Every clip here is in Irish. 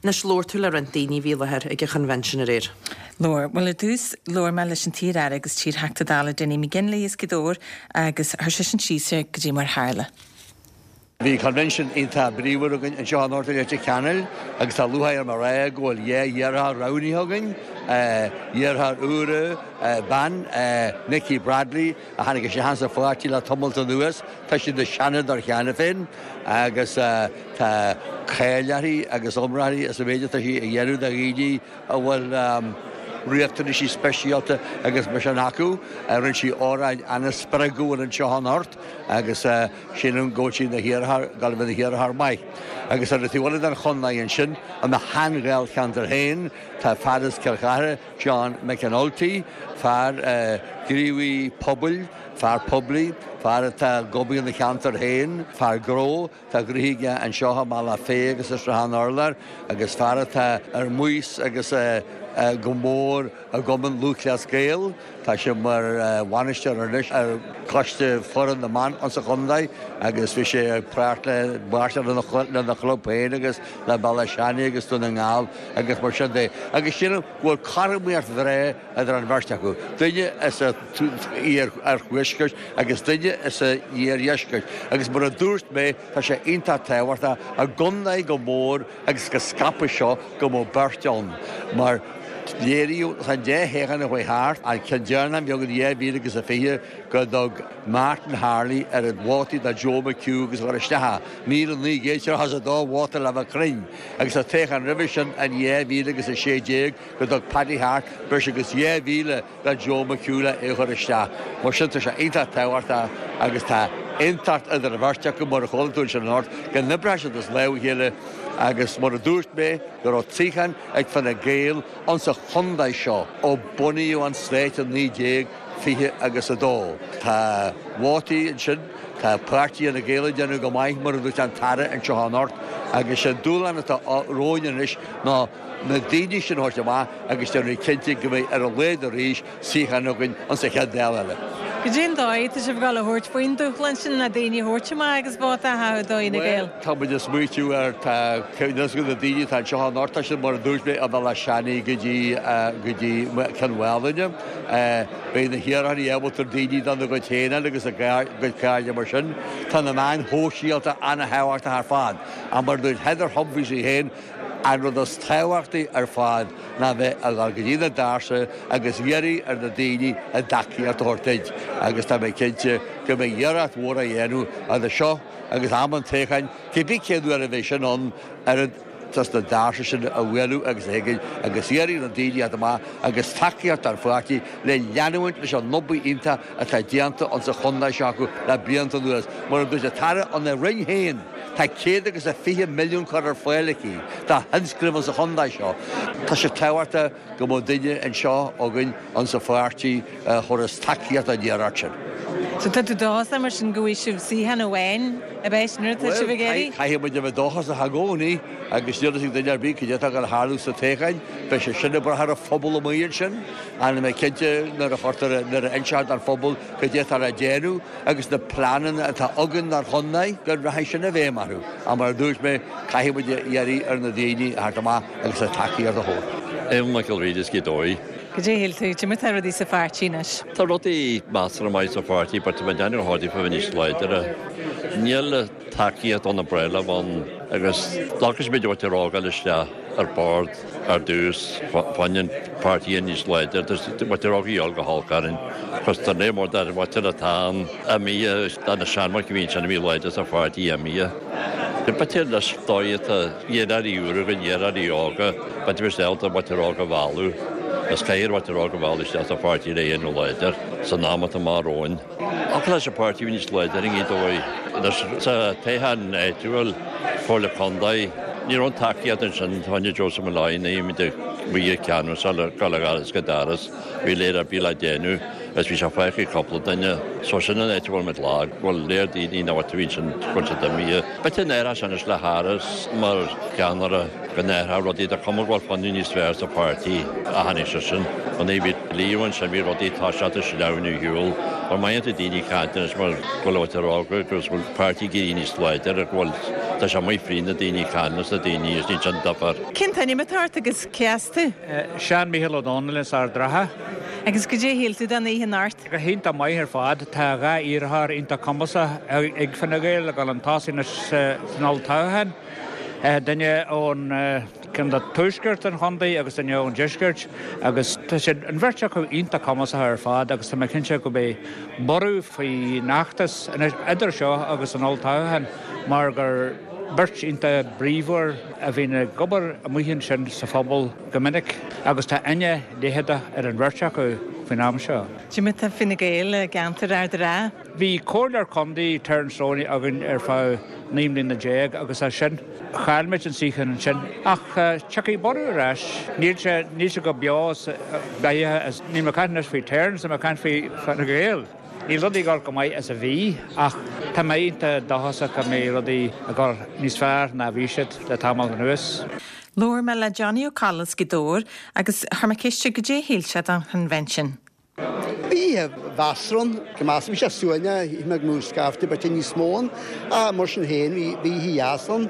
Anois, labhair tú le roinnt daoine a bhí i láthair ag an Chonvention aréir. Labhair. Bhuel, ar dtús, labhair mé leis an t-iar-aire agus t-iar-Theachta Dála Dinny McGinley as Gaoth Dobhair agus chuir seisean síos ar goidé mar tharla. Bhí Convention iontach bríomhar againn anseo anocht i Leitir Ceanainn agus tá lúcháir orm a rá go bhfuil dhá iarrthóir roghnaithe againn, iarrthóir úr, bean, Nikki Bradley, a tháinig isteach sa pháirtí le tamalt anuas, tá sí ina seanadóir cheana féin agus tá cáil uirthi agus iomrá uirthi as an méid atá sí a dhéanamh do dhaoine a bhfuil riachtanaisí speisialta agus mar sin acu. Rinne sí óráid an-spreagúil anseo anocht agus sílim go bhfuil sí ina hiarrthóir, ag gabháil a bheith ina hiarrthóir maith. Agus ar an taobh eile den chontae ansin, i mo shean-dháilcheantar féin, tá fear as Cill Chartha, John McAnulty, fear gníomhaí pobail, fear poiblí, fear atá ag obair ina cheantar féin, fear gnó, tá gnoithe aige anseo i mBealach Féich agus i Sruthán Urláir agus fear atá ar maos agus go mór i gCumann Lúthchleas Gael. Tá sé mar bhainisteoir anois ar Choiste Foireann na mBan insa chontae agus bhí sé ag páirt le lena chlub féin agus le Béal Átha Seanaidh agus Dún na nGall agus mar sin de. Agus sílim go bhfuil cothromaíocht bhreá idir an bheirt acu, duine as an iarthuaisceart agus duine as an iardheisceart. Agus mar a dúirt mé, tá sé iontach tábhachtach i gcontae chomh mór agus chomh scaipthe seo go mbeadh beirt ann, mar léiríodh san dá thoghchán a chuaigh thart, an ceann deireanach a bhí againn in 2020, go dtug Martin Harley oiread vótaí do Joe McHugh agus a chuir isteach é, 1,932 vóta le bheith cruinn, agus sa toghchán roimhe sin in 2016 go dtug Paddy Harte breis agus 2,000 do Joe McHugh le é a chur isteach. Mar sin tá sé iontach tábhachtach agus tá aontacht idir an bheirt acu mar a chuala tú ansin anocht go n-oibreoidh siad as lámh a chéile agus mar a dúirt mé go raibh suíochán ag Fine Gael insa chontae seo ó bunaíodh an stát i 1920 agus 2. Tá vótaí ansin, tá páirtí Fhine Gael ag déanamh go maith mar a dúirt an tAire anseo anocht agus sé an dúshlán atá romhainn anois ná na daoine sin a thabhairt amach agus déanamh cinnte go mbeidh ar a laghad arís suíochán againn insa chéad Dáil eile. Cad é an dóigh atá sibh ag dul a thabhairt faoin dúshlán sin na daoine a thabhairt amach agus vóta a chaitheamh do Fhine Gael? Bhuel, tá muid ag smaoitiú ar, tá cuimhne agam na daoine atá anseo anocht, tá siad mar a dúirt mé ó Bhéal Átha Seanaidh go dtí, go dtí Cionn Mhálanna. Beidh na hiarrthóirí ábalta daoine dona gcuid féin a fháil agus a gcuid cairde mar sin. Tá na meáin shóisialta an-thábhachtach ar fad. Ach mar a dúirt Heather Humphreys í féin, An rud is tábhachtaí ar fad ná bheith ag dul go dtí na doirse agus iarraidh ar na daoine a dtacaíocht a thabhairt duit agus tá mé cinnte go mbeidh iarracht mhór á dhéanamh idir seo agus am an toghcháin, cibé cén uair a bheidh sin ann, oiread dos na doirse sin a bhualadh agus a thuigeann agus iarraidh ar na daoine a theacht amach agus tacaíocht don pháirtí le leanúint leis an obair iontach atá déanta insa chontae seo acu le blianta anuas. Mar a dúirt an tAire ina Roinn féin, Tá 120 milliún curtha ar fáil aici do thionscnaimh insa chontae seo. Tá sé tábhachtach go mbeadh duine anseo againn insa pháirtí a thabharfas tacaíocht don iarracht sin. So tá tú dóchasach mar sin go bhfaighidh sibh suíochán amháin, ab é sin rud atá sibh ag iarraidh? Bhuel, caithfidh muid a bheith dóchasach i gcónaí agus níl a fhios ag duine ar bith cad é atá ag dul a tharlú sa toghchán. Beidh sé sin ag brath ar an phobal amuigh ansin. Níl mé cinnte nuair a chuirtear, nuair a inseofar don phobal cad é atá le déanamh. agus na pleananna atá againn dár chontae, go rachaidh sin i bhfeidhm orthu. Ach mar a dúirt mé, caithfidh muid a iarraidh ar na daoine a theacht amach agus a dtacaíocht a thabhairt. Eoin Michael Reid as Gaoth Dobhair. Cad é a shíl tú? Cad é mar tá rudaí sa pháirtí anois? Tá rudaí measartha maith sa pháirtí but tá mé ag déanamh go háirithe fá níos láidre. Níl tacaíocht ón bpréilimh ann agus glacfaidh muid áit a fhágáil isteach ar bord ar dtús fá choinne an páirtí níos láidre muintir óg a dhíol go holc orainn cos tá léir mór dar mhuintir atá ann imithe tá na seanmhuintir a bhí ansin a bhí láidir sa pháirtí imithe. B'fhéidir leis dóigh atá iarrthóirí úra againn iarrthóirí óga b'fhéidir bheadh sé ábalta muintir óg a mhealladh is caithfear muintir óg a mhealladh isteach sa pháirtí le é a dhéanamh láidir san am atá amach romhainn. Ach leis an páirtí a bhí níos láidre i nGaoth Dobhair anois sa toghchán áitiúil, Comhairle Contae, ní raibh an tacaíocht ansin fá choinne Joseph Molloy ní bhí muid ag ceannach le dul ó dhoras go doras, bhí léir ar bith le déanamh. Is bhí sé fágtha ag cúpla duine. So sin an áit a bhfuil muid lag, go bhfuil léir daoine nach bhfuil taobh ansin go bhfuil siad imithe. B'fhéidir n-athródh sé anois le Harris mar cheannaire, go n-athródh rudaí, tá cuma go bhfuil fuinneamh níos fearr sa pháirtí ó tháinig seisean. An bhí Leo ansin bhí rudaí ag toiseacht ag sleamhnú ar shiúl. Mar má dhéantar daoine ag caint anois mar go bhfuil áit a rá go bhfuil páirtí ag éirí níos láidre go bhfuil tá sé amuigh fríd na daoine ag caint leis na daoine is níl sin difear. Cén t-ainm atá ort agus cé as tú? Seán Mícheál Ó Domhnaill as Ard Ratha. Agus goidé a shíl tú den oíche anocht? Go hiontach maith ar fad. Tá 2 iarrthóir iontach cumasach ag Fine Gael ag dul chun tosaigh anois san olltoghchán. Duine ón gceantar tuaisceart an chontae agus duine ón deisceart agus tá siad, an bheirt acu, iontach cumasach ar fad agus tá mé cinnte go mbeidh borradh faoin fheachtas anois idir seo agus an olltoghchán mar gur beirt iontach bríomhar a bhíonn ag obair amuigh ansin sa phobal go minic agus tá aithne leitheadach ar an bheirt acu faoin am seo. Cad é mar atá Fine Gael i gceantar Ard an Rátha. Bhí comhairleoir contae, Terence Roney, againn ar feadh 19 mbliana agus as sin chaill muid an suíochán ansin. Ach tiocfaidh borradh ar ais. Níl sé, níl sé chomh beo is beathaithe is, níl mé ag caint anois faoi Terence, tá mé ag caint faoi Fine Gael. Níl rudaí ag dul chomh maith is a bhí ach tá mé iontach dóchasach go mbeidh rudaí ag dul níos fearr ná a bhí siad le tamall anuas. Labhair mé le Johnny Ó Colla as Gaoth Dobhair agus chuir mé ceist air goidé a shíl sé den Chonvention. Bhí oíche mheasartha ann, go measartha. Bhí sé suaimhneach, shíl mé go mbeadh scaifte b'fhéidir níos mó ann, ach mar sin féin bhí oíche dheas ann.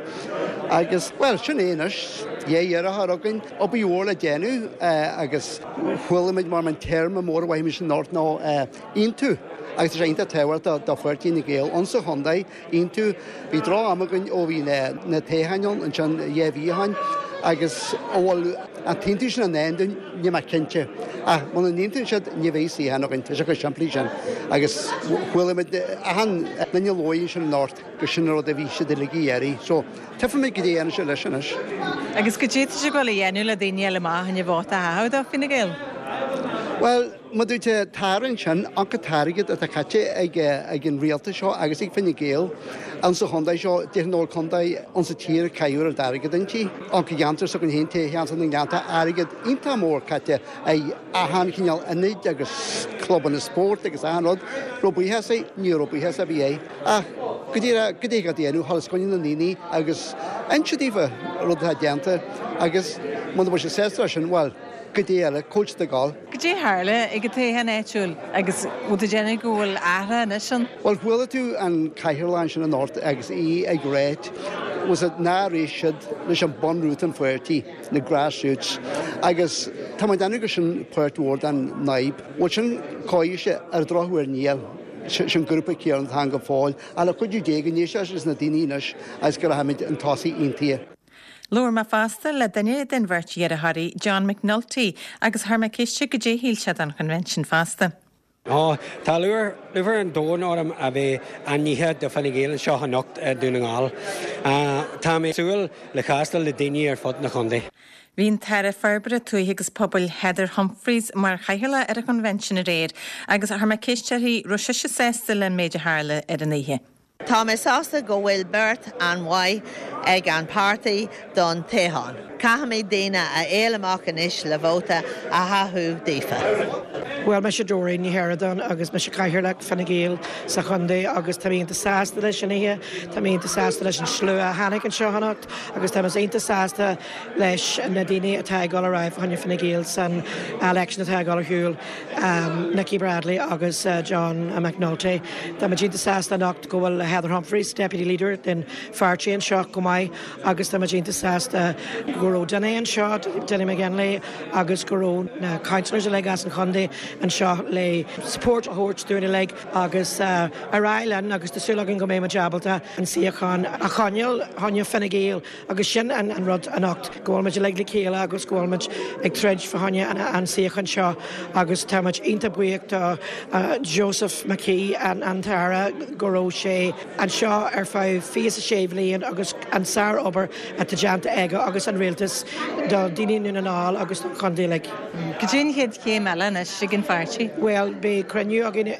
Agus, bhuel, sin é anois, 2 iarrthóir againn, obair mhór le déanamh agus chuala muid mar an téarma mór a mhaímid anocht ná aontú agus tá sé iontach tábhachtach do pháirtí Fhine Gael insa chontae, aontú. Bhí droch-am againn ó bhí na toghcháin ann ansin 2 mhí ó shin agus an bhfuil an t-aontú sin i ndán dúinn, níl mé cinnte. Ach muna n-aontaíonn siad ní bheidh suíochán againn, tá sé chomh simplí sin. Agus chuala muid achan duine a labhair ansin anocht gur sin an rud a bhí siad uilig ag iarraidh. So Tífimid goidé a dhéanann siad leis anois. Agus goidé tá sibh ag dul a dhéanamh le daoine a fháil amach fá choinne vóta a chaitheamh do Fine Gael? Bhuel, má dúirt tú tarraingt sin, an t-airgead atá caite ag an rialtas seo agus ag Fine Gael insa chontae seo, déarfainn nach bhfuil contae insa tír a caitheadh oiread airgead inti. An ceantar s'againn féin, toghcheantar na nGleannta, airgead iontach mór caite ag achan chineál ionaid agus clubanna spóirt agus achan rud. Raibh buíochas air? Ní raibh buíochas ar bith air. Ach go díreach, goidé atá déanamh, a dhul os coinne na ndaoine agus inse daofa rud atá déanta agus muna bhfuil siad sásta leis sin, bhuel, goidé eile, cá bhfuil siad ag dul. Goidé a tharla ag an toghchán áitiúil agus bhfuil tú ag déanamh go bhfuil athrú anois ann? Bhuel, chuala tú an cathaoirleach ansin anocht agus í ag ráit, was it nár éist siad leis an bunrút an pháirtí, na grassroots, agus tá mé ag déanamh gur sin páirt mhór den fhadhb. Bhfuil sin cóimheasach? Ar an drochuair níl. Sin grúpa céanna atá ann go fóill. Ach le cuidiú Dé go n-éistfidh leis na daoine anois agus go rachaimid chun tosaigh aontaithe. Labhair mé fosta le duine den bheirt dheartháirí, John McNulty, agus chuir mé ceist air goidé a shíl sé den Chonvention fosta. Ó, tá lúcháir an domhain orm a bheith ainmnithe do Fine Gael anseo anocht i Dún na nGall. Tá mé ag súil le castáil le daoine ar fud na chontae. Bhí an tAire Forbartha Tuaithe agus Pobail Heather Humphreys mar chathaoirleach ar an Chonvention aréir agus chuir mé ceist uirthi raibh sise sásta le an méid a tharla ar an oíche. Tá mé sásta go bhfuil beirt an-mhaith ag an páirtí don toghchán. Caithfimid daoine a fháil amach anois le vóta a chaitheamh daofa. Bhuel, mise Doreen Ní Sheireadáin agus mise Cathaoirleach Fine Gael sa chontae agus tá mé iontach sásta leis an oíche, tá mé iontach sásta leis an slua a tháinig anseo anocht agus tá mé iontach sásta leis na daoine atá ag dul ar aghaidh fá choinne Fine Gael san election atá ag dul ar shiúl, Nikki Bradley agus John McNulty. Tá muid iontach sásta anocht go bhfuil Heather Humphreys, Deputy Leader den pháirtí anseo chomh maith agus tá muid iontach sásta go raibh Dinny anseo, Dinny McGinley, agus go raibh na councillors uilig as an chontae anseo le support a thabhairt dúinn uilig agus ar aghaidh linn agus tá súil againn go mbeidh muid ábalta an suíochán a choinneáil fá choinne Fine Gael. Agus sin an rud anocht, go bhfuil muid uilig le chéile agus go bhfuil muid ag troid fá choinne an suíochán seo agus tá muid iontach buíoch do Joseph McKee, an tAire, go raibh sé anseo ar feadh 26 bhliain agus an sár-obair atá déanta aige agus an rialtas do daoine i nDún na nGall agus don chontae uilig. Cad é an chéad chéim eile anois ag an. pháirtí? Bhuel, beidh cruinniú againn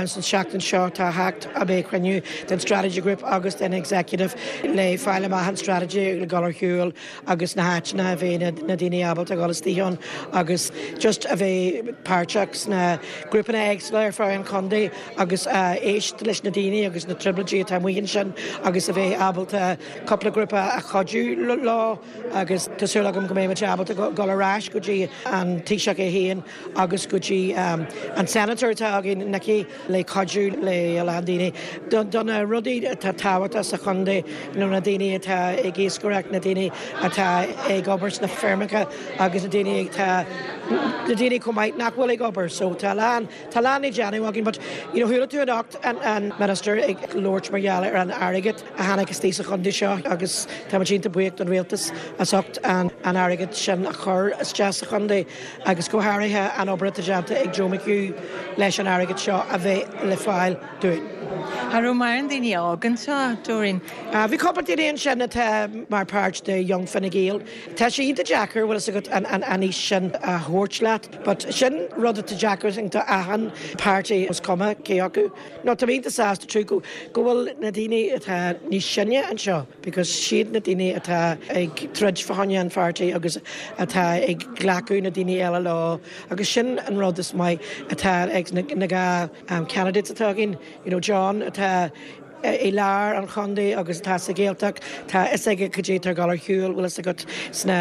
san seachtain seo atá a theacht, beidh cruinniú den Strategy Group agus den Executive le fáil amach an strategy le dul ar shiúl agus na háiteanna a bheidh na daoine ábalta a dhul istigh ann agus just a bheith páirteach sna grúpanna éagsúla ar feadh an chontae agus éist leis na daoine agus na trioblóidí atá amuigh ansin agus a bheith ábalta cúpla grúpa a chuidiú leo agus tá súil agam go mbeidh muid ábalta dul ar ais go dtí an Taoiseach é féin agus go dtí an Senator atá againn, Nikki, le cuidiú le a lán daoine do na rudaí atá tábhachtach sa chontae, you know na daoine atá ag iascaireacht, na daoine atá ag obair sna feirmeacha agus na daoine atá, na daoine chomh maith nach bhfuil ag obair. So tá a lán, tá a lán le déanamh againn but you know chuala tú anocht an an Minister ag labhairt mar gheall ar an airgead a tháinig istigh sa chontae seo agus tá muid iontach buíoch don rialtas as ucht an an airgead sin a chur isteach sa chontae. agus go háirithe an obair atá déanta ag Joe McHugh leis an airgead seo a bheith le fáil dúinn. An raibh mórán daoine óga anseo, Doreen? Bhí cúpla daoine ansin atá mar páirt de Young Fine Gael. Tá sé iontach deacair, bhfuil fhios agat, an aois sin a thabhairt leat, but sin rud atá deacair do achan páirtí, is cuma cé acu. No, tá mé iontach sásta too go bhfuil na daoine atá níos sine anseo. because siad na daoine atá ag troid fá choinne an pháirtí agus atá ag glacadh na daoine eile leo agus sin an rud is maith atá ag na 2 candidates atá againn, you know John atá i lár an chontae agus atá sa Ghaeltacht, tá fhios aige cad é atá ag dul ar shiúl, bhfuil fhios agat, sna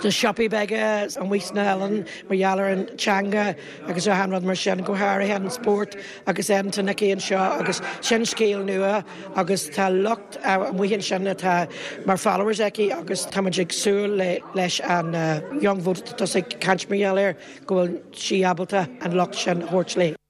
siopaí beaga amuigh sna hoileáin mar gheall ar an teanga agus achan rud mar sin, go háirithe an spórt agus then tá Nikki anseo agus sin scéal nua agus tá lucht amuigh ansin atá mar followers aici agus tá muid ag súil leis an young vote atá tusa ag caint mar gheall air go bhfuil sí ábalta an lucht sin a thabhairt léi.